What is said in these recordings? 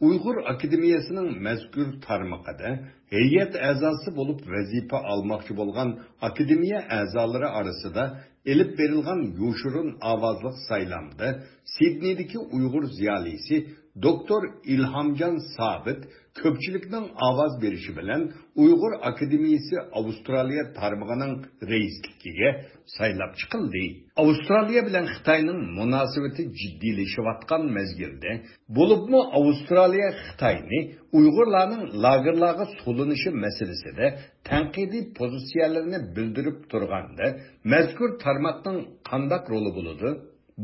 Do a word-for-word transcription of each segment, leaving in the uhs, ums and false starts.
ئۇيغۇر ئاكادېمىيەسىنىڭ مەزكۇر تارمىقىدا ھەيئەت ئەزاسى بولۇپ ۋەزىپە ئالماقچى بولغان ئاكادېمىيە ئەزالىرى ئارىسىدا ئېلىپ بېرىلغان يوشۇرۇن ئاۋازلىق سايلامدا سىدنېيدىكى ئۇيغۇر زىيالىيسى دوكتور ئىلھامجان سابىت كۆپچىلىكنىڭ ئاۋاز بېرىشى بىلەن ئۇيغۇر ئاكادېمىيىسى ئاۋسترالىيە تارمىقىنىڭ رەئىسلىكىگە سايلاپ چىقىلدى. ئاۋسترالىيە بىلەن خىتاينىڭ مۇناسىۋىتى جىددىيلىشىۋاتقان مەزگىلدە، بولۇپمۇ ئاۋسترالىيە خىتاينى ئۇيغۇرلارنىڭ لاگېرلارغا سولىنىشى مەسىلىسىدە تەنقىدىي پوزىتسىيەلىرىنى بىلدۈرۈپ تۇرغاندا، مەزكۇر تارماقنىڭ قانداق رولى بولىدۇ؟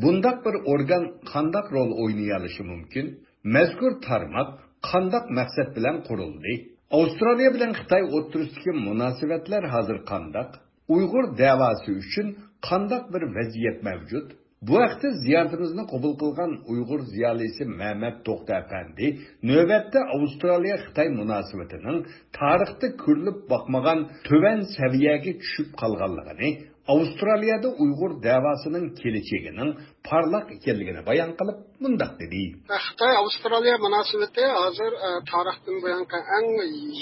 بۇنداق بىر ئورگان قانداق رول ئوينىيالىشى مۇمكىن؟ مەزكۇر تارماق قانداق مەقسەت بىلەن قۇرۇلدى؟ ئاۋسترالىيە بىلەن خىتاي ئوتتۇرىسىدىكى مۇناسىۋەتلەر ھازىر قانداق؟ ئۇيغۇر دەۋاسى ئۈچۈن قانداق بىر ۋەزىيەت مەۋجۇت؟ بۇ ھەقتە زىيارىتىمىزنى قوبۇل قىلغان ئۇيغۇر زىيالىيسى مەمەت توختى ئەپەندى نۆۋەتتە ئاۋسترالىيە-خىتاي مۇناسىۋىتىنىڭ تارىختا كۆرۈلۈپ باقمىغان تۆۋەن سەۋىيەگە چۈشۈپ قالغانلىقىنى، ئاۋسترالىيەدە ئۇيغۇر دەۋاسىنىڭ كېلىچىكىنىڭ پارلاق ئىكەنلىكىنى بايان قىلىپ، مۇنداق دېدى. خىتاي ئاۋسترالىيە مۇناسىۋىتى ھازىر، ئە، تارىختىن بۇيانقى ئەڭ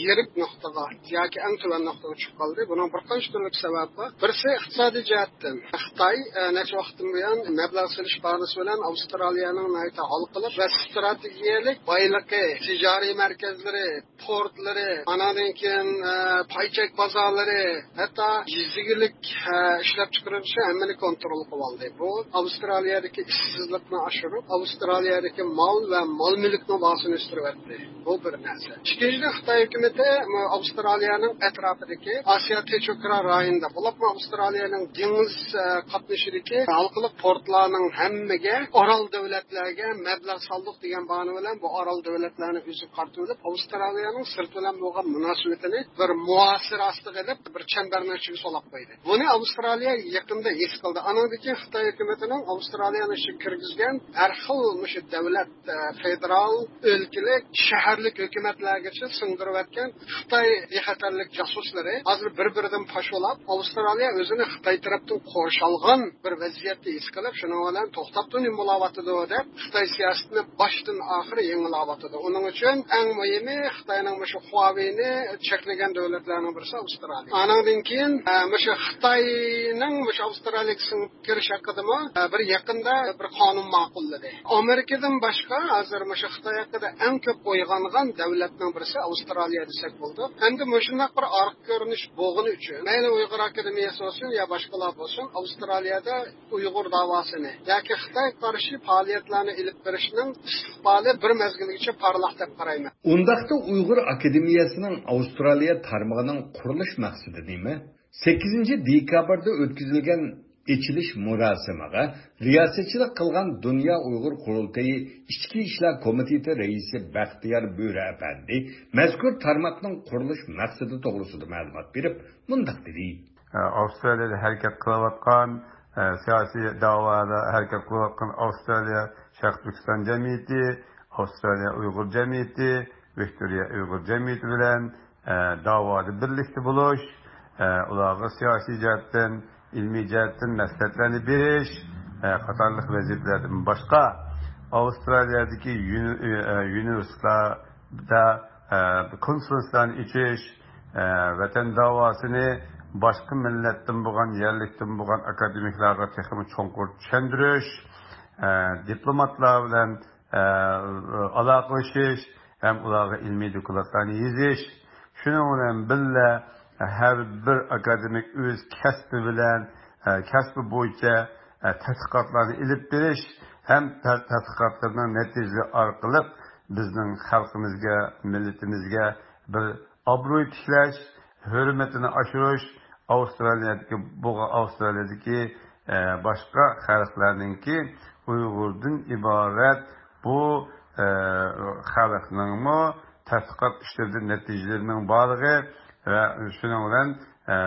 يىرىك نۇقتىغا ياكى ئەڭ تۆۋەن نۇقتىغا چۈشۈپ قالدى. بۇنىڭ بىر قانچە تۈرلۈك سەۋەب بار. بىرسى ئىقتىسادىي جەھەتتىن. خىتاي، ئە، نەچچە ۋاقىتتىن بۇيان مەبلەغ سېلىش باھانىسى بىلەن ئاۋسترالىيەنىڭ ناھايىتى ھالقىلىق ۋە ستراتېگىيەلىك بايلىقى، تىجارىي مەركەزلىرى، پورتلىرى، ئاناندىن كېيىن، ئە، پاي چەك بازارلىرى، ھەتتا يېزا ئىگىلىك، ئە، ئىشلەپچىقىرىلىشى ھەممىنى كونترول قىلىۋالدى. بۇ ئاۋسترالىيەدىكى ئىشسىزلىقنى ئاشۇرۇپ، ئاۋسترالىيەدىكى مال ۋە مال مۈلۈكنىڭ باھاسىنى ئۆستۈرۈۋەتتى. بۇ بىر نەرسە. ئىككىنچىدىن، خىتاي ھۆكۈمىتى ئاۋسترالىيەنىڭ ئەتراپىدىكى ئاسىيا تىنچ ئوكيان رايونىدا، بولۇپمۇ ئاۋسترالىيەنىڭ دېڭىز، ئە، قاتنىشىدىكى ھالقىلىق پورتلارنىڭ ھەممىگە ئارال دۆلەتلەرگە مەبلەغ سالدۇق دېگەن باھانە بىلەن بۇ ئارال دۆلەتلەرنى ئۆزىگە قارىتىۋېلىپ، ئاۋسترالىيەنىڭ سىرت بىلەن بولغان مۇناسىۋىتىنى بىر مۇھاسىرە ئاستىغا ئېلىپ، بىر چەمبەرنىڭ ئىچىگە سولاپ قويدى. بۇنى ئاۋسترالىيە يېقىندا ھېس قىلدى. ئانىڭدىن كېيىن خىتاي ھۆكۈمىتىنىڭ ئاۋسترالىيەنىڭ ئىچىگە كىرگۈزگەن ھەر خىل مۇشۇ دۆلەت، ئە، فېدېرال، ئۆلكىلىك، شەھەرلىك ھۆكۈمەتلەرگىچە سىڭدۈرۈۋەتكەن خىتاي بىخەتەرلىك جاسۇسلىرى ھازىر بىر-بىرىدىن پاش بولاپ، ئاۋسترالىيە ئۆزىنى خىتاي تەرەپتىن قورشالغان بىر ۋەزىيەتتە ھېس قىلىپ، شۇنىڭ بىلەن توختاپتۇ، نېمە بولاۋاتىدۇ دەپ، خىتاي سىياسىتىنى باشتىن ئاخىر يېڭىلاۋاتىدۇ. ئۇنىڭ ئۈچۈن ئەڭ مۇھىمى خىتاينىڭ مۇشۇ خۇاۋېينى چەكلىگەن دۆلەتلەرنىڭ بىرسى ئاۋسترالىيە. ئانىڭدىن كېيىن، ئە، مۇشۇ خىتاينىڭ مۇشۇ ئاۋسترالىيەگە سىڭىپ كىرىش ھەققىدىمۇ، ئە، بىر يېقىندا بىر قانۇن ماقۇللىدى. ئامېرىكىدىن باشقا ھازىر مۇشۇ خىتاي ھەققىدە ئەڭ كۆپ ئويغانغان دۆلەتنىڭ بىرسى ئاۋسترالىيە دېسەك بولىدۇ. ئەمدى مۇشۇنداق بىر ئارقا كۆرۈنۈش بولغىنى ئۈچۈن، مەيلى ئۇيغۇر ئاكادېمىيەسى بولسۇن يا باشقىلار بولسۇن، ئاۋسترالىيەدە ئۇيغۇر داۋاسىنى ياكى خىتايغا قارشى پائالىيەتلەرنى ئېلىپ بېرىشنىڭ ئىستىقبالى بىر مەزگىلگىچە پارلاق دەپ قارايمەن. ئۇنداقتا ئۇيغۇر ئاكادېمىيەسىنىڭ ئاۋسترالىيە تارمىقىنىڭ قۇرۇلۇش مەقسىتى نېمە؟ سەككىزىنچى دېكابىردا ئۆتكۈزۈلگەن ئېچىلىش مۇراسىمىغا رىياسەتچىلىك قىلغان دۇنيا ئۇيغۇر قۇرۇلتىيى ئىچكى ئىشلار كومىتېتى رەئىسى بەختىيار بۆرە ئەپەندى مەزكۇر تارماقنىڭ قۇرۇلۇش مەقسىتى توغرىسىدا مەلۇمات بېرىپ، مۇنداق دېدى. ئاۋسترالىيەدە ھەرىكەت قىلىۋاتقان، سىياسىي داۋادا ھەرىكەت قىلىۋاتقان ئاۋسترالىيە شەرقىي تۈركىستان جەمئىيىتى، ئاۋسترالىيە ئۇيغۇر جەمئىيىتى، ۋىكتورىيە ئۇيغۇر جەمئىيىتى بىلەن، داۋادا بىرلىكتە بولۇش، ئۇلارغا سىياسىي جەھەتتىن، ئىلمىي جەھەتتىن مەسلىھەتلەرنى بېرىش، قاتارلىق ۋەزىپىلەردىن باشقا، ئاۋسترالىيەدىكى يۇنى-، يۇنىۋېرسىتېتلاردا، كونفېرېنسلارنى ئېچىش، ۋەتەن داۋاسىنى باشقا مىللەتتىن بولغان، يەرلىكتىن بولغان ئاكادېمىكلارغا تېخىمۇ چوڭقۇر چۈشەندۈرۈش، دىپلوماتلار بىلەن، ئالاقىلىشىش ھەم ئۇلارغا ئىلمىي دوكلاتلارنى يېزىش، شۇنىڭ بىلەن بىللە، ھەر بىر ئاكادېمىك ئۆز كەسپى بىلەن، كەسپى بويىچە، تەتقىقاتلارنى ئېلىپ بېرىش ھەم تە-، تەتقىقاتلىرىنىڭ نەتىجىلىرى ئارقىلىق بىزنىڭ خەلقىمىزگە، مىللىتىمىزگە بىر ئابرۇي تىكلەش، ھۆرمىتىنى ئاشۇرۇش، ئاۋسترالىيەدىكى، بۇ ئاۋسترالىيەدىكى، ئە، باشقا خەلقلەرنىڭكى ئۇيغۇردىن ئىبارەت بۇ، ئە، خەلقنىڭمۇ تەتقىقات ئىشلىرىدا نەتىجىلىرىنىڭ بارلىقى ۋە شۇنىڭ بىلەن، ئە،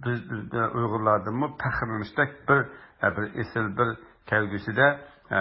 بىز، بىز ئۇيغۇرلاردىنمۇ پەخىرلىنىشتەك بىر، ئە، بىر ئېسىل بىر كەلگۈسىدە، ئە،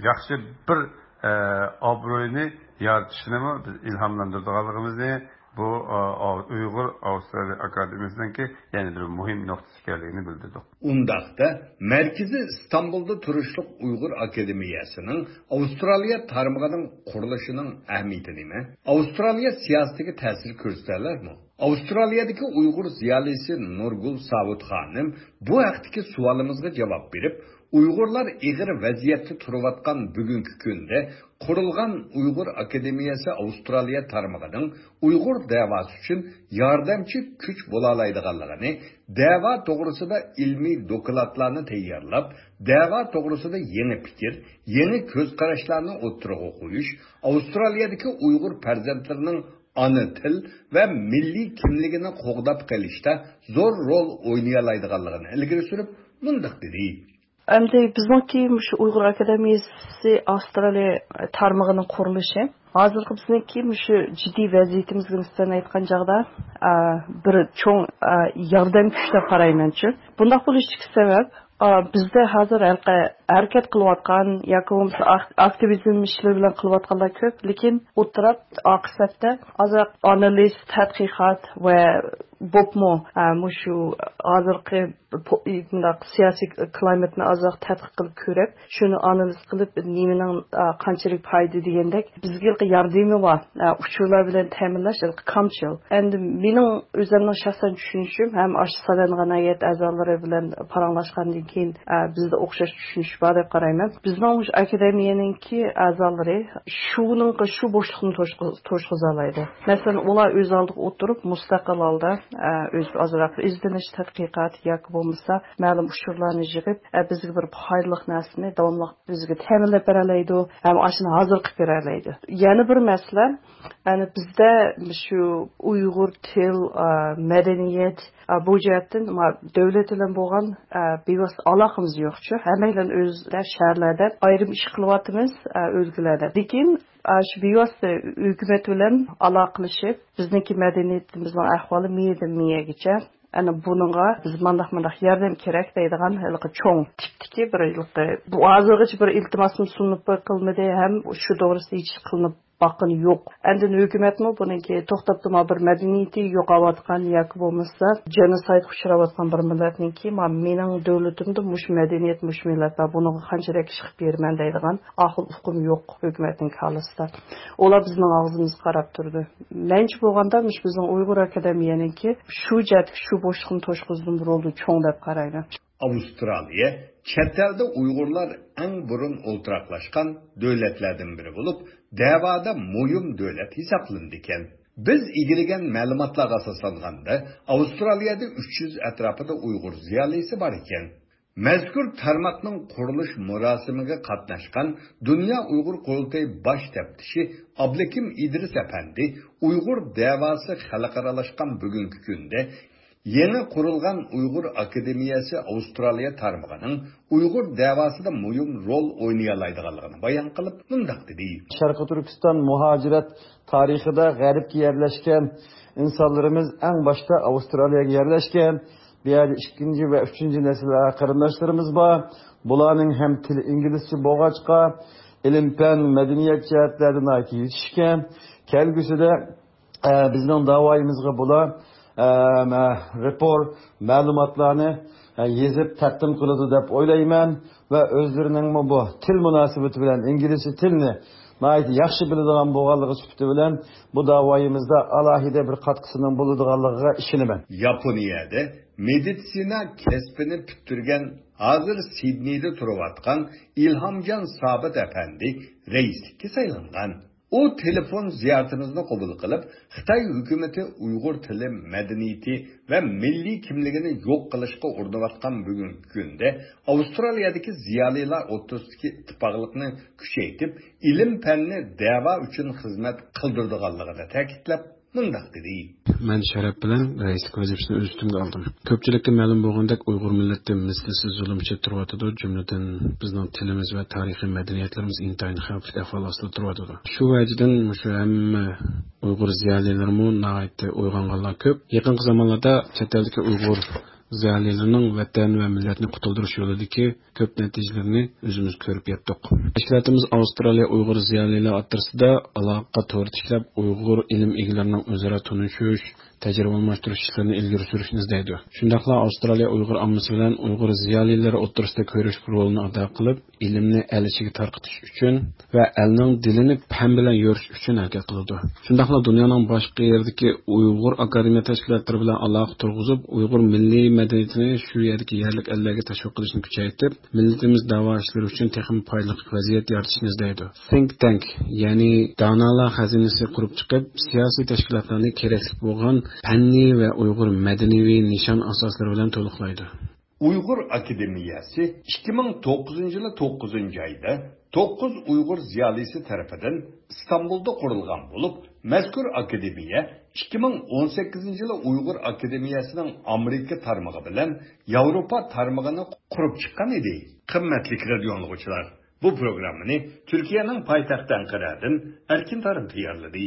ياخشى بىر، ئە، ئابرۇينى يارىتىشنىمۇ بىز ئىلھاملاندۇرىدىغانلىقىمىزنى بۇ، ئا، ئا، ئۇيغۇر ئاۋسترالىيە ئاكادېمىيەسىنىڭكى يەنە بىر مۇھىم نۇقتىسى ئىكەنلىكىنى بىلدۈردۇق. ئۇنداقتا، مەركىزى ئىستانبۇلدا تۇرۇشلۇق ئۇيغۇر ئاكادېمىيەسىنىڭ ئاۋسترالىيە تارمىقىنىڭ قۇرۇلۇشىنىڭ ئەھمىيىتى نېمە؟ ئاۋسترالىيە سىياسىتىگە تەسىر كۆرسىتەلەرمۇ؟ ئاۋسترالىيەدىكى ئۇيغۇر زىيالىيسى نۇرگۈل ساۋۇت خانىم بۇ ھەقتىكى سوئالىمىزغا جاۋاب بېرىپ، ئۇيغۇرلار ئېغىر ۋەزىيەتتە تۇرۇۋاتقان بۈگۈنكى كۈندە قۇرۇلغان ئۇيغۇر ئاكادېمىيەسى ئاۋسترالىيە تارمىقىنىڭ ئۇيغۇر دەۋاسى ئۈچۈن ياردەمچى كۈچ بولالايدىغانلىقىنى، دەۋا توغرىسىدا ئىلمىي دوكلاتلارنى تەييارلاپ، دەۋا توغرىسىدا يېڭى پىكىر، يېڭى كۆز قاراشلارنى ئوتتۇرىغا قويۇش ئاۋسترالىيەدىكى ئۇيغۇر پەرزەنتلىرىنىڭ ئانا تىل ۋە مىللىي كىملىكىنى قوغداپ قېلىشتا زور رول ئوينىيالايدىغانلىقىنى ئىلگىرى سۈرۈپ، مۇنداق دېدى. ئەمدى بىزنىڭكى مۇشۇ ئۇيغۇر ئاكادېمىيەسى ئاۋسترالىيە تارمىقىنىڭ قۇرۇلۇشى ھازىرقى بىزنىڭكى مۇشۇ جىددىي ۋەزىيىتىمىزگە نىسبەتەن ئېيتقان چاغدا، ئا، بىر چوڭ، ئا، ياردەم كۈچ دەپ قارايمەنچۇ. بۇنداق بولۇشتىكى سەۋەب، ئا، بىزدە ھازىر ھەرقا-، ھەرىكەت قىلىۋاتقان ياكى بولمىسا ئاك-، ئاكتىۋىزم ئىشلىرى بىلەن قىلىۋاتقانلار كۆپ، لېكىن ئوتتۇرا ئاقىسەپتە ئازراق ئانالىز، تەتقىقات ۋە بوپمۇ، ئا، مۇشۇ ھازىرقى پو-، مۇنداق سىياسىي كىلىماتنى ئازراق تەتقىق قىلىپ كۆرۈپ، شۇنى ئانالىز قىلىپ، نېمىنىڭ، ئا، قانچىلىك پايدا دېگەندەك، بىزگە ھېلىقى ياردىمى بار، ئا، ئۇچۇرلار بىلەن تەمىنلەش ھېلىقى كامچىل. ئەمدى مېنىڭ ئۆزۈمنىڭ شەخسەن چۈشىنىشىم ھەم ئاشۇ سالانغان ھەيئەت ئەزالىرى بىلەن پاراڭلاشقاندىن كېيىن، ئا، بىزدە ئوخشاش چۈشىنىش بار دەپ قارايمەن. بىزنىڭ مۇشۇ ئاكادېمىيەنىڭكى ئەزالىرى شۇنىڭغا، شۇ بوشلۇقنى توشقۇ-، توشقۇزالايدۇ. مەسىلەن، ئۇلار ئۆز ئالدىغا ئولتۇرۇپ، مۇستەقىل ھالدا، ئا، ئۆز ئازراق ئىزدىنىش، تەتقىقات ياكى بولمىسا مەلۇم ئۇچۇرلارنى يىغىپ، ئە، بىزگە بىر پايدىلىق نەرسىنى داۋاملىق بىزگە تەمىنلەپ بېرەلەيدۇ ھەم ئاشۇنى ھازىر قىلىپ بېرەلەيدۇ. يەنە بىر مەسىلە، يەنى بىزدە شۇ ئۇيغۇر تىل، ئا، مەدەنىيەت، ئا، بۇ جەھەتتىن ما-، دۆلەت بىلەن بولغان، ئا، بىۋاسىتە ئالاقىمىز يوقچۇ. ھەممەيلەن ئۆزىدە شەھەرلەردە ئايرىم ئىش قىلىۋاتىمىز، ئا، ئۆلكىلەردە. لېكىن، ئا، شۇ بىۋاسىتە ھۆكۈمەت بىلەن ئالاقىلىشىپ، بىزنىڭكى مەدەنىيىتىمىزنىڭ ئەھۋالى مىيەدىن مىيەگىچە، ئەنە بۇنىڭغا بىز مانداق، مانداق ياردەم كېرەك دەيدىغان ھېلىقى چوڭ تىپتىكى بىر ھېلىقى، بۇ ھازىرغىچە بىر ئىلتىماسمۇ سۇنۇپ قىلمىدى ھەم شۇ توغرىسىدا ھېچ قىلىنىپ باققىنى يوق. ئاندىن ھۆكۈمەتمۇ بۇنىڭكى توختاپ تۇرما بىر مەدەنىيىتى يوقاۋاتقان ياكى بولمىسا جېنوسايدقا ئۇچراۋاتقان بىر مىللەتنىڭكى، ما-، مېنىڭ دۆلىتىمدە مۇشۇ مەدەنىيەت، مۇشۇ مىللەت بار، بۇنىڭغا قانچىلىك ئىش قىلىپ بېرىمەن دەيدىغان ئاقىل ئۇقۇم يوق ھۆكۈمەتنىڭ كاللىسىدا. ئۇلار بىزنىڭ ئاغزىمىزغا قاراپ تۇرىدۇ. مەنچە بولغاندا مۇشۇ بىزنىڭ ئۇيغۇر ئاكادېمىيەنىڭكى شۇ جەھەتتىكى شۇ بوشلۇقنى توشقۇزۇشنىڭ رولى چوڭ دەپ قارايمەن. ئاۋسترالىيە چەت ئەلدە ئۇيغۇرلار ئەڭ بۇرۇن ئولتۇراقلاشقان دۆلەتلەردىن بىرى بولۇپ، دەۋادا مۇھىم دۆلەت ھېسابلىنىدىكەن. بىز ئىگىلىگەن مەلۇماتلارغا ئاساسلانغاندا، ئاۋسترالىيەدە ئۈچ يۈز ئەتراپىدا ئۇيغۇر زىيالىيسى بار ئىكەن. مەزكۇر تارماقنىڭ قۇرۇلۇش مۇراسىمىغا قاتناشقان دۇنيا ئۇيغۇر قۇرۇلتىيى باش تەپتىشى ئابلىكىم ئىدرىس ئەپەندى ئۇيغۇر دەۋاسى خەلقئارالاشقان بۈگۈنكى كۈندە يېڭى قۇرۇلغان ئۇيغۇر ئاكادېمىيەسى ئاۋسترالىيە تارمىقىنىڭ ئۇيغۇر دەۋاسىدا مۇھىم رول ئوينىيالايدىغانلىقىنى بايان قىلىپ، مۇنداق دېدى. شەرقىي تۈركىستان مۇھاجىرەت تارىخىدا غەربكە يەرلەشكەن ئىنسانلىرىمىز ئەڭ باشتا ئاۋسترالىيەگە يەرلەشكەن. بۇ يەردە ئىككىنچى ۋە ئۈچىنچى نەسىل قېرىنداشلىرىمىز بار. بۇلارنىڭ ھەم تىلى ئىنگلىزچە بولغاچقا، ئىلىم-پەن، مەدەنىيەت جەھەتلەردە ناھايىتى يېتىشكەن. كەلگۈسىدە ئە، بىزنىڭ داۋايىمىزغا بۇلار، ئە، مە-، رېپور مەلۇماتلارنى، ئە، يېزىپ تەقدىم قىلىدۇ دەپ ئويلايمەن ۋە ئۆزلىرىنىڭمۇ بۇ تىل مۇناسىۋىتى بىلەن ئىنگلىزچە تىلنى ناھايىتى ياخشى بىلىدىغان بولغانلىقى سۈپىتى بىلەن بۇ داۋايىمىزدا ئالاھىدە بىر قاتقىسىنىڭ بولىدىغانلىقىغا ئىشىنىمەن. ياپونىيەدە مېدىتسىنا كەسپىنى پۈتتۈرگەن، ھازىر سىدنېيدا تۇرۇۋاتقان ئىلھامجان سابىت ئەپەندى رەئىسلىككە سايلانغان. ئۇ تېلېفون زىيارىتىمىزنى قوبۇل قىلىپ، خىتاي ھۆكۈمىتى ئۇيغۇر تىلى، مەدەنىيىتى ۋە مىللىي كىملىكىنى يوق قىلىشقا ئۇرۇنۇۋاتقان بۈگۈنكى كۈندە ئاۋسترالىيەدىكى زىيالىيلار ئوتتۇرىسىدىكى ئىتتىپاقلىقنى كۈچەيتىپ، ئىلىم-پەننى دەۋا ئۈچۈن خىزمەت قىلدۇرىدىغانلىقىنى تەكىتلەپ، مۇنداق دېدى. مەن شەرەپ بىلەن رەئىسلىك ۋەزىپىسىنى ئۆز ئۈستۈمگە ئالدىم. كۆپچىلىككە مەلۇم بولغاندەك، ئۇيغۇر مىللىتى مىسلىسىز زۇلۇم ئىچىدە تۇرۇۋاتىدۇ. جۈملىدىن بىزنىڭ تىلىمىز ۋە تارىخىي مەدەنىيەتلىرىمىز ئىنتايىن خەۋپلىك ئەھۋال ئاستىدا تۇرۇۋاتىدۇ. شۇ ۋەجىدىن مۇشۇ ھەممە ئۇيغۇر زىيالىيلىرىمۇ ناھايىتى ئويغانغانلار كۆپ. يېقىنقى زامانلاردا چەت ئەلدىكى ئۇيغۇر زىيالىيلىرىنىڭ ۋەتەن ۋە مىللەتنى قۇتۇلدۇرۇش يولىدىكى كۆپ نەتىجىلىرىنى ئۆزىمىز كۆرۈپ يەتتۇق. تەشكىلاتىمىز ئاۋسترالىيە ئۇيغۇر زىيالىيلىرى ئوتتۇرىسىدا ئالاقە تورى تىكلەپ، ئۇيغۇر ئىلىم ئىگىلىرىنىڭ ئۆزئارا تونۇشۇش، تەجرىبە ئالماشتۇرۇش ئىشلىرىنى ئىلگىرى سۈرۈشنى ئىزدەيدۇ. شۇنداقلا ئاۋسترالىيە ئۇيغۇر ئاممىسى بىلەن ئۇيغۇر زىيالىيلىرى ئوتتۇرىسىدا كۆرۈشۈپ رولىنى ئادا قىلىپ، ئىلىمنى ئەل ئىچىگە تارقىتىش ئۈچۈن ۋە ئەلنىڭ دىلىنى پەن بىلەن يورۇتۇش ئۈچۈن ھەرىكەت قىلىدۇ. شۇنداقلا دۇنيانىڭ باشقا يېرىدىكى ئۇيغۇر ئاكادېمىيە تەشكىلاتلىرى بىلەن ئالاقە تۇرغۇزۇپ، ئۇيغۇر مىللىي مەدەنىيىتىنى شۇ يەردىكى يەرلىك ئەللەرگە تەشۋىق قىلىشنى كۈچەيتىپ، مىللىتىمىز داۋا ئىشلىرى ئۈچۈن تېخىمۇ پايدىلىق ۋەزىيەت يارىتىشنى ئىزدەيدۇ. Think Tank، يەنى دانالار خەزىنىسى قۇرۇپ چىقىپ، سىياسىي تەشكىلاتلارنى كېرەكلىك بولغان پەننىي ۋە ئۇيغۇر مەدەنىيەت نىشان ئاساسلىرى بىلەن تولۇقلايدۇ. ئۇيغۇر ئاكادېمىيەسى ئىككى مىڭ توققۇزىنچى يىلى توققۇزىنچى ئايدا توققۇز ئۇيغۇر زىيالىيسى تەرىپىدىن ئىستانبۇلدا قۇرۇلغان بولۇپ، مەزكۇر ئاكادېمىيە ئىككى مىڭ ئون سەككىزىنچى يىلى ئۇيغۇر ئاكادېمىيەسىنىڭ ئامېرىكا تارمىقى بىلەن ياۋروپا تارمىقىنى قۇرۇپ چىققان ئىدى. قىممەتلىك رادىيو ئاڭلىغۇچىلار، بۇ پروگراممىنى تۈركىيەنىڭ پايتەختى ئەنقەرەدىن ئەركىن تارىم تەييارلىدى.